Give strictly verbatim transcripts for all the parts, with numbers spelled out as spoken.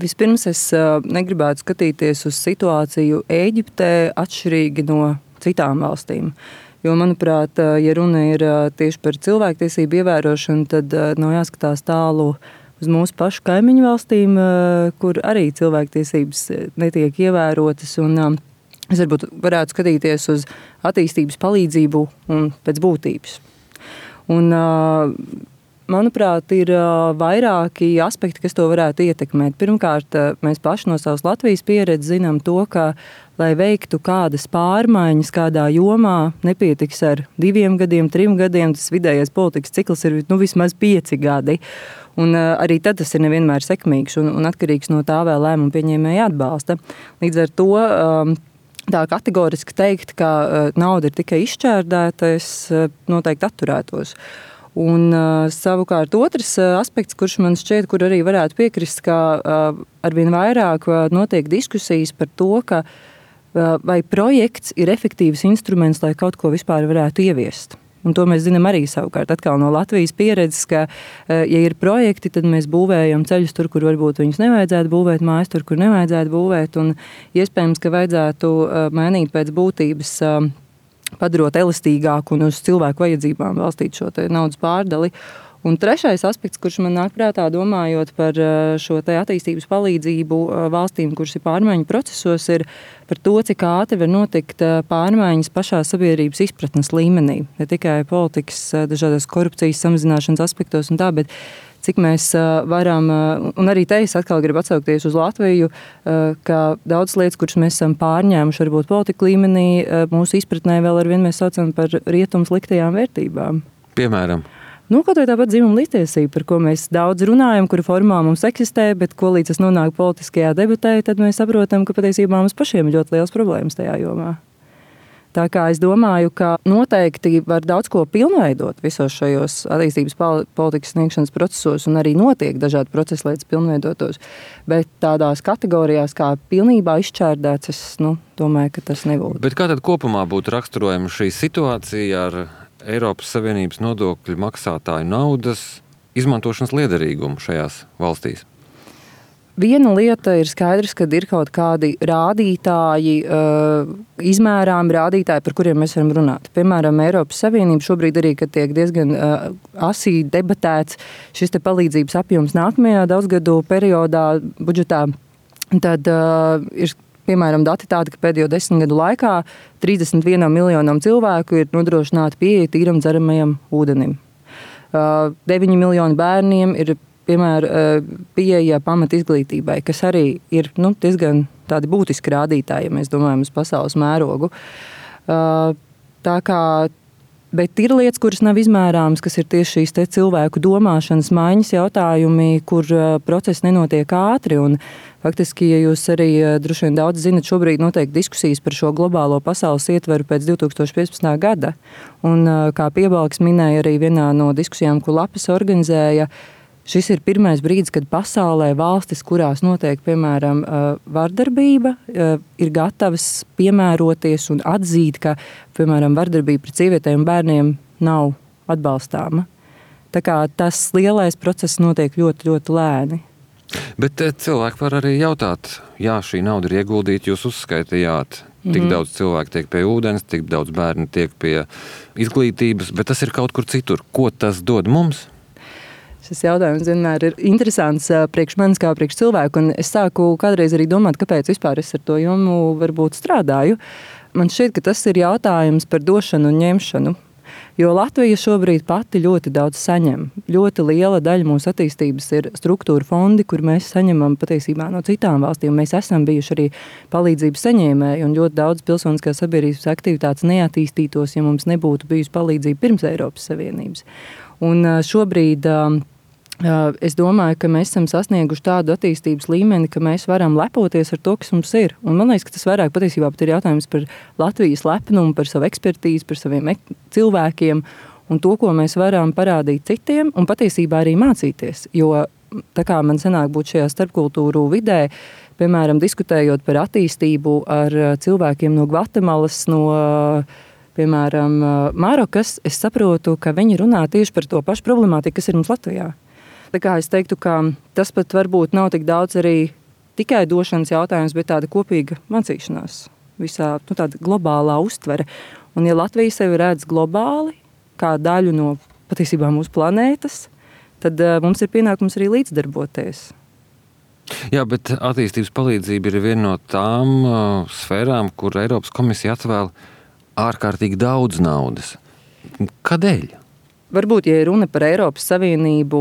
Vispirms es negribētu skatīties uz situāciju Ēģiptē atšķirīgi no citām valstīm. Jo, manuprāt, ja runa ir tieši par cilvēktiesību ievērošanu, tad nav jāskatās tālu uz mūsu pašu kaimiņu valstīm, kur arī cilvēktiesības netiek ievērotas. Un es varbūt varētu skatīties uz attīstības palīdzību un pēc būtības. Un, manuprāt, ir vairāki aspekti, kas to varētu ietekmēt. Pirmkārt, mēs paši no savas Latvijas pieredzes zinām to, ka, lai veiktu kādas pārmaiņas kādā jomā, nepietiks ar diviem gadiem, trim gadiem. Tas vidējais politikas cikls ir nu, vismaz pieci gadi. Un arī tad tas ir nevienmēr sekmīgs un, un atkarīgs no tā vēl lēmumu pieņēmēja atbalsta. Līdz ar to tā kategoriski teikt, ka nauda ir tikai izšķērdēta, es noteikti atturētos. Un uh, savukārt otrs uh, aspekts, kurš man šķiet, kur arī varētu piekrist, ka uh, arvien vairāk uh, notiek diskusijas par to, ka uh, vai projekts ir efektīvs instruments, lai kaut ko vispār varētu ieviest. Un to mēs zinām arī savukārt atkal no Latvijas pieredzes, ka, uh, ja ir projekti, tad mēs būvējam ceļus tur, kur varbūt viņus nevajadzētu būvēt, mājas tur, kur nevajadzētu būvēt, un iespējams, ka vajadzētu uh, mainīt pēc būtības uh, padarot elastīgāku un uz cilvēku vajadzībām balstīt šo te naudas pārdali. Un trešais aspekts, kurš man nāk prātā domājot par šo te attīstības palīdzību valstīm, kuras ir pārmaiņu procesos, ir par to, cik ātri var notikt pārmaiņas pašā sabiedrības izpratnes līmenī. Ne tikai politikas, dažādas korupcijas samazināšanas aspektos un tā, bet cik mēs varam, un arī te es atkal gribu atsaukties uz Latviju, ka daudz lietas, kuras mēs esam pārņēmuši varbūt politika līmenī, mūsu izpratnē vēl arvien mēs saucam par rietumu sliktajām vērtībām. Piemēram? Nu, kaut vai tāpat dzimuma līdztiesība, par ko mēs daudz runājam, kura formā mums eksistē, bet ko līdz tas nonāk politiskajā debatē, tad mēs saprotam, ka patiesībā mums pašiem ir ļoti liels problēmas tajā jomā. Tā kā es domāju, ka noteikti var daudz ko pilnveidot visos šajos attīstības politikas sniegšanas procesos un arī notiek dažādi procesi, lai tas pilnveidotos. Bet tādās kategorijās kā pilnībā izšķērdēts, es nu, domāju, ka tas nebūtu. Bet kā tad kopumā būtu raksturojama šī situācija ar Eiropas Savienības nodokļu maksātāju naudas izmantošanas liederīgumu šajās valstīs? Viena lieta ir skaidrs, ka ir kaut kādi rādītāji, izmērām rādītāji, par kuriem mēs varam runāt. Piemēram, Eiropas Savienība šobrīd arī, kad tiek diezgan asī debatēts šis te palīdzības apjoms nākamajā daudzgadu periodā budžetā, tad ir piemēram dati tādi, ka pēdējo desmit gadu laikā trīsdesmit vienam miljonam cilvēku ir nodrošināta pieeja tīram dzeramajam ūdenim. deviņi miljoni bērniem ir piemēram, pieeja pamat izglītībai, kas arī ir nu, diezgan tādi būtiski rādītāji, ja mēs domājam uz pasaules mērogu. Tā kā, bet ir lietas, kuras nav izmērāmas, kas ir tieši šīs te cilvēku domāšanas maiņas jautājumi, kur procesi nenotiek ātri. Un faktiski, ja jūs arī droši vien daudz zinat, šobrīd notiek diskusijas par šo globālo pasaules ietveru pēc divi tūkstoši piecpadsmitā gada. Un kā Piebalgs minēja arī vienā no diskusijām, ko Lapas organizēja, šis ir pirmais brīdis, kad pasaulē valstis, kurās notiek, piemēram, vardarbība, ir gatavas piemēroties un atzīt, ka, piemēram, vardarbība pret sievietēm un bērniem nav atbalstāma. Tā kā tas lielais process notiek ļoti, ļoti lēni. Bet cilvēki var arī jautāt, jā, šī nauda ir ieguldīta, jūs uzskaitījāt, tik mm. daudz cilvēku tiek pie ūdens, tik daudz bērni tiek pie izglītības, bet tas ir kaut kur citur. Ko tas dod mums? Šis jautājums vienmēr ir interesants priekš manis kā priekš cilvēku, un es sāku kādreiz arī domāt, kāpēc vispār es ar to jomu varbūt strādāju. Man šķiet, ka tas ir jautājums par došanu un ņemšanu, jo Latvija šobrīd pati ļoti daudz saņem. Ļoti liela daļa mūsu attīstības ir struktūra fondi, kur mēs saņemam patiesībā no citām valstīm. Mēs esam bijuši arī palīdzības saņēmēji, un ļoti daudz pilsoniskās sabiedrības aktivitātes neattīstītos, ja mums nebūtu bijusi palīdzība pirms Eiropas Savienības. Un šobrīd es domāju, ka mēs esam sasnieguši tādu attīstības līmeni, ka mēs varam lepoties ar to, kas mums ir. Un man liekas, ka tas vairāk patiesībā pat ir jautājums par Latvijas lepnumu, par savu ekspertīzi, par saviem cilvēkiem un to, ko mēs varam parādīt citiem un patiesībā arī mācīties. Jo tā kā man sanāk būt šajā starpkultūru vidē, piemēram, diskutējot par attīstību ar cilvēkiem no Gvatemalas, no piemēram, Marokas, es saprotu, ka viņi runā tieši par to pašu problemātiku, kas ir mums Latvijā. Tā kā es teiktu, ka tas pat varbūt nav tik daudz arī tikai došanas jautājums, bet tāda kopīga mācīšanās, visā nu, tāda globālā uztvere. Un ja Latvija sevi redz globāli, kā daļu no patiesībā mūsu planētas, tad uh, mums ir pienākums arī līdzdarboties. Jā, bet attīstības palīdzība ir viena no tām uh, sfērām, kur Eiropas komisija atvēl ārkārtīgi daudz naudas. Kādēļ? Varbūt, ja runa par Eiropas Savienību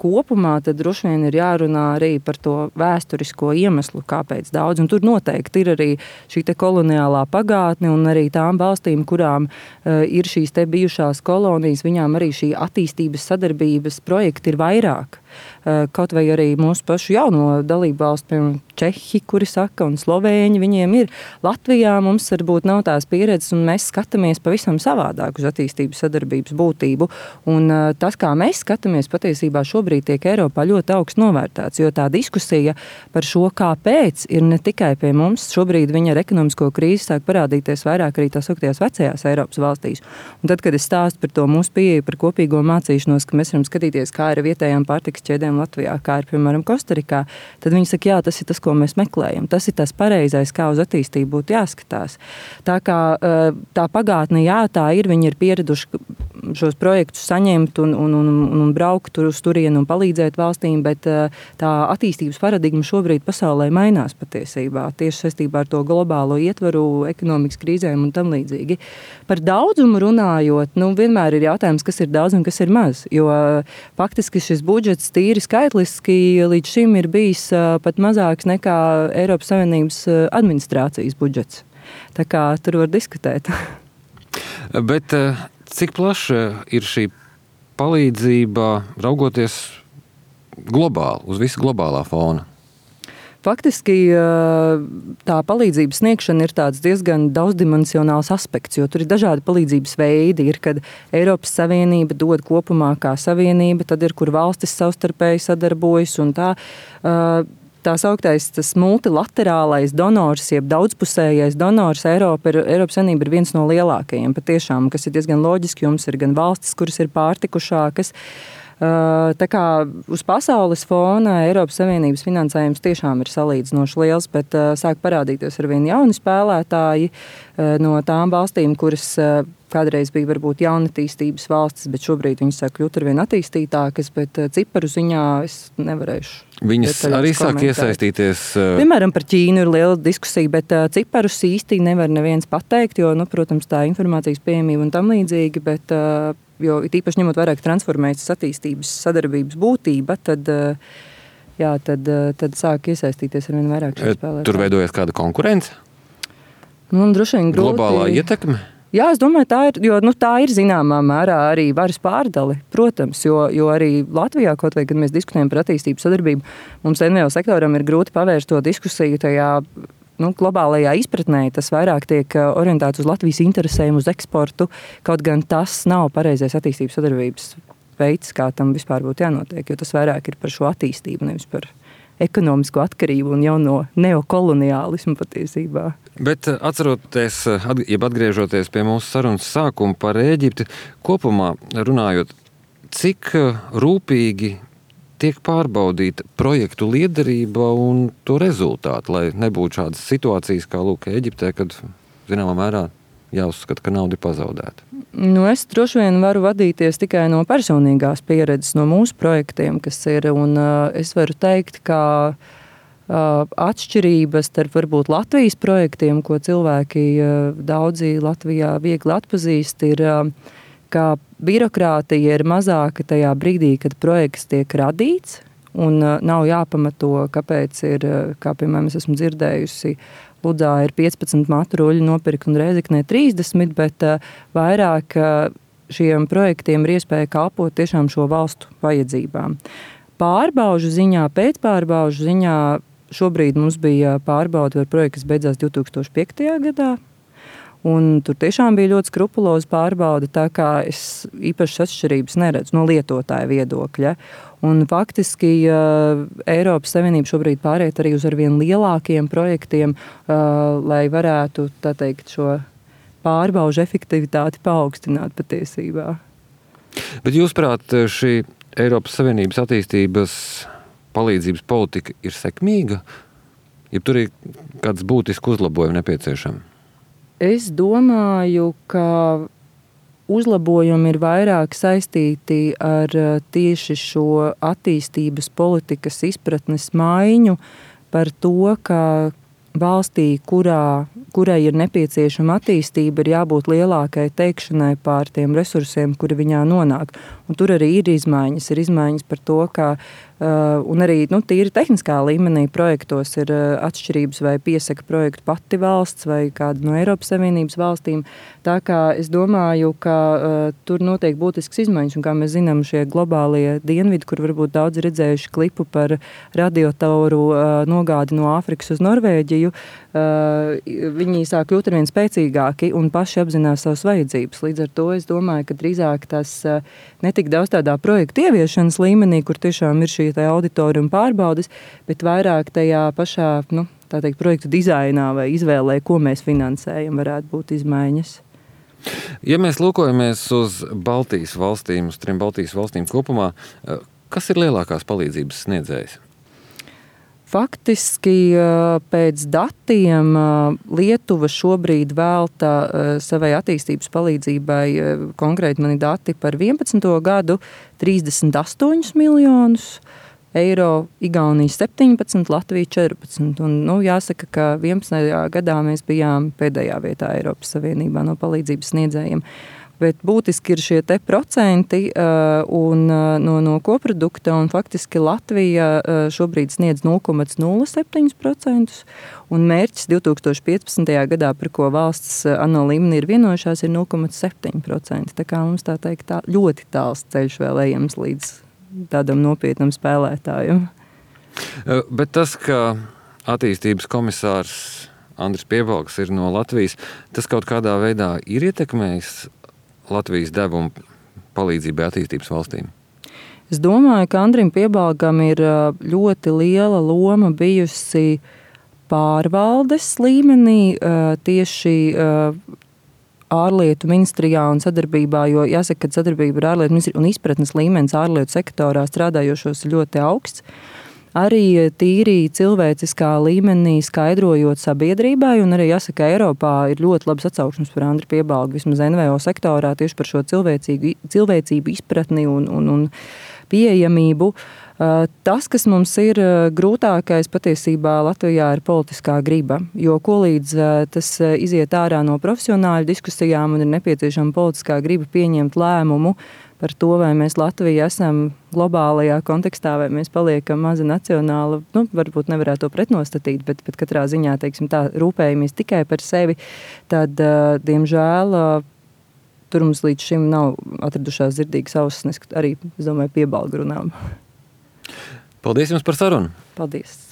kopumā, tad droši vien ir jārunā arī par to vēsturisko iemeslu, kāpēc daudz. Un tur noteikti ir arī šī te koloniālā pagātne un arī tām valstīm, kurām uh, ir šīs te bijušās kolonijas, viņām arī šī attīstības sadarbības projekti ir vairāk. Uh, kaut vai arī mūsu pašu jauno dalību valstu, piemēram, Čehi, kuri saka, un Slovēņi, viņiem ir. Latvijā mums varbūt nav tās pieredzes, un mēs skatāmies pavisam savādāk uz attīstības sadarbības būtību. Un uh, tas, kā mēs skatāmies, patiesībā šobrīd tiek Eiropā ļoti augsts novērtēts, jo tā diskusija par šo, kāpēc, ir ne tikai pie mums. Šobrīd viņa ar ekonomisko krīzi sāk parādīties vairāk arī tās augtajās vecajās Eiropas valstīs. Un tad, kad es stāstu par to mūsu pieeju, par kopīgo mācīšanos, ka mēs varam skatīties, kā ir vietējām pārtikas ķēdēm Latvijā, kā ir, piemēram, Kostarikā, tad viņi saka, jā, tas ir tas, ko mēs meklējam. Tas ir tas pareizais, kā uz attīstību būtu jāskatās. Tā kā tā pagātne, jā, tā ir, viņi ir pieraduši šos projektus saņemt un, un, un, un braukt tur uz turienu un palīdzēt valstīm, bet tā attīstības paradigma šobrīd pasaulē mainās patiesībā, tieši saistībā ar to globālo ietvaru, ekonomikas krīzēm un tam līdzīgi. Par daudzumu runājot, nu, vienmēr ir jautājums, kas ir daudz un kas ir maz, jo faktiski šis budžets tīri skaitliski līdz šim ir bijis pat mazāks nekā Eiropas Savienības administrācijas budžets. Tā kā tur var diskutēt. Bet cik plaša ir šī palīdzība raugoties globāli, uz visu globālā fona? Faktiski tā palīdzības sniegšana ir tāds diezgan daudzdimensionāls aspekts, jo tur ir dažādi palīdzības veidi. Ir, kad Eiropas Savienība dod kopumā kā savienība, tad ir, kur valstis savstarpēji sadarbojas un tā. Tā sauktais tas multilaterālais donors, jeb daudzpusējais donors Eiropa ir, Eiropas Savienība ir viens no lielākajiem patiešām, kas ir diezgan loģiski, jums ir gan valstis, kuras ir pārtikušākas. Tā kā uz pasaules fona Eiropas Savienības finansējums tiešām ir salīdzinoši liels, bet sāk parādīties arvien jauni spēlētāji no tām valstīm, kuras kādreiz bija varbūt jaunatīstības valstis, bet šobrīd viņas sāk kļūt arvien attīstītākas, bet ciparu ziņā es nevarēšu. Viņas arī sāk iesaistīties. Piemēram, par Ķīnu ir liela diskusija, bet ciparus īsti nevar neviens pateikt, jo, nu, protams, tā informācijas pieejamība un tam līdzīgi, bet jo īpaši ņemot vairāk transformētas attīstības sadarbības būtība, tad, jā, tad, tad sāk iesaistīties arvien vairāk šie spēlētāji. Tur veidojas kāda konkurence? Nu, droši vien grūti. Globālā ietekme? Jā, es domāju, tā ir, jo nu, tā ir zināmā mērā arī varas pārdali, protams, jo, jo arī Latvijā, kaut vai, kad mēs diskutējam par attīstības sadarbību, mums N V O sektoram ir grūti pavērst to diskusiju tajā nu, globālajā izpratnē. Tas vairāk tiek orientēts uz Latvijas interesēm, uz eksportu, kaut gan tas nav pareizais attīstības sadarbības veids, kā tam vispār būtu jānotiek, jo tas vairāk ir par šo attīstību, nevis par ekonomisko atkarību un jauno neokoloniālismu patiesībā. Bet atceroties, jeb atgriežoties pie mūsu sarunas sākuma par Ēģipti, kopumā runājot, cik rūpīgi tiek pārbaudīta projektu liederība un to rezultātu, lai nebūtu šādas situācijas kā lūk Ēģiptē, kad zināmā mērā jāuzskata, ka nauda ir pazaudēta. Nu, es droši vien varu vadīties tikai no personīgās pieredzes, no mūsu projektiem, kas ir, un uh, es varu teikt, ka uh, atšķirības starp varbūt Latvijas projektiem, ko cilvēki uh, daudzi Latvijā viegli atpazīst, ir, uh, ka birokrātija ir mazāka tajā brīdī, kad projekts tiek radīts, un uh, nav jāpamato, kāpēc ir, uh, kā piemēram es esmu dzirdējusi, Ludzā ir piecpadsmit matruļi nopirkt un Rēzeknē trīsdesmit, bet uh, vairāk uh, šiem projektiem ir iespēja kalpot tiešām šo valstu vajadzībām. Pārbaužu ziņā, pēcpārbaužu ziņā šobrīd mums bija pārbauda par projektu, kas beidzās divtūkstoš piektajā gadā. Un tur tiešām bija ļoti skrupuloza pārbauda, tā kā es īpašas atšķirības neredzu no lietotāja viedokļa. Un faktiski uh, Eiropas Savienība šobrīd pāriet arī uz arvien lielākiem projektiem, uh, lai varētu, tā teikt, šo pārbaužu efektivitāti paaugstināt patiesībā. Bet jūsuprāt, šī Eiropas Savienības attīstības palīdzības politika ir sekmīga? Ja tur ir kāds būtisks uzlabojums nepieciešams? Es domāju, ka uzlabojumi ir vairāk saistīti ar tieši šo attīstības politikas izpratnes maiņu par to, ka valstī, kurā, kurai ir nepieciešama attīstība, ir jābūt lielākai teikšanai pār tiem resursiem, kuri viņā nonāk. Un tur arī ir izmaiņas. Ir izmaiņas par to, ka Uh, un arī nu, tīri tehniskā līmenī projektos ir uh, atšķirības, vai piesaka projektu pati valsts vai kāda no Eiropas Savienības valstīm. Tā kā es domāju, ka uh, tur notiek būtisks izmaiņas, un kā mēs zinām, šie globālie dienvidi, kur varbūt daudz redzējuši klipu par radiotoru uh, nogādi no Āfrikas uz Norvēģiju, uh, viņi sāk kļūt arvien spēcīgāki un paši apzinās savas vajadzības. Līdz ar to es domāju, ka drīzāk tas uh, netik daudz tādā projektu ieviešanas līmenī, kur tiešām ir šī auditorija un pārbaudes, bet vairāk tajā pašā, nu, tā teikt, projektu dizainā vai izvēlē, ko mēs finansējam, varētu būt izmaiņas. Ja mēs lūkojamies uz Baltijas valstīm, uz trim Baltijas valstīm kopumā, kas ir lielākās palīdzības sniedzējs? Faktiski pēc datiem Lietuva šobrīd velta savai attīstības palīdzībai, konkrēti mani dati par vienpadsmito gadu, trīsdesmit astoņus miljonus eiro, Igaunija septiņpadsmit, Latvija četrpadsmit. Un, nu, jāsaka, ka vienpadsmitajā gadā mēs bijām pēdējā vietā Eiropas Savienībā no palīdzības sniedzējiem. Bet būtiski ir šie te procenti uh, un, uh, no, no koprodukta, un faktiski Latvija uh, šobrīd sniedz nulle komats nulle septiņi procenti, un mērķis divtūkstoš piecpadsmitajā gadā, par ko valsts uh, ANO līmenī ir vienojušās, ir nulle komats septiņi procenti. Tā kā mums tā teikt tā ļoti tāls ceļš vēl ejams līdz tādam nopietnam spēlētājam. Uh, bet tas, ka attīstības komisārs Andris Piebalgs ir no Latvijas, tas kaut kādā veidā ir ietekmējis Latvijas devumu palīdzībai attīstības valstīm? Es domāju, ka Andrim Piebalgam ir ļoti liela loma bijusi pārvaldes līmenī, tieši ārlietu ministrijā un sadarbībā, jo jāsaka, ka sadarbība ar ārlietu ministriju un izpratnes līmenis ārlietu sektorā strādājošos ir ļoti augsts. Arī tīri cilvēciskā līmenī skaidrojot sabiedrībai, un arī jāsaka, Eiropā ir ļoti labs atsauksmes par Andri Piebalgu, vismaz en ve o sektorā, tieši par šo cilvēcību izpratni un, un, un pieejamību. Tas, kas mums ir grūtākais patiesībā Latvijā, ir politiskā griba, jo ko līdz tas iziet ārā no profesionāļu diskusijām un ir nepieciešama politiskā griba pieņemt lēmumu par to, vai mēs Latvija esam globālajā kontekstā, vai mēs paliekam maza nacionāla, nu, varbūt nevarētu to pretnostatīt, bet, bet katrā ziņā, teiksim tā, rūpējamies tikai par sevi, tad, diemžēl, tur mums līdz šim nav atradušās dzirdīgas ausis, arī, es domāju, Piebalga runām. Paldies jums par sarunu! Paldies!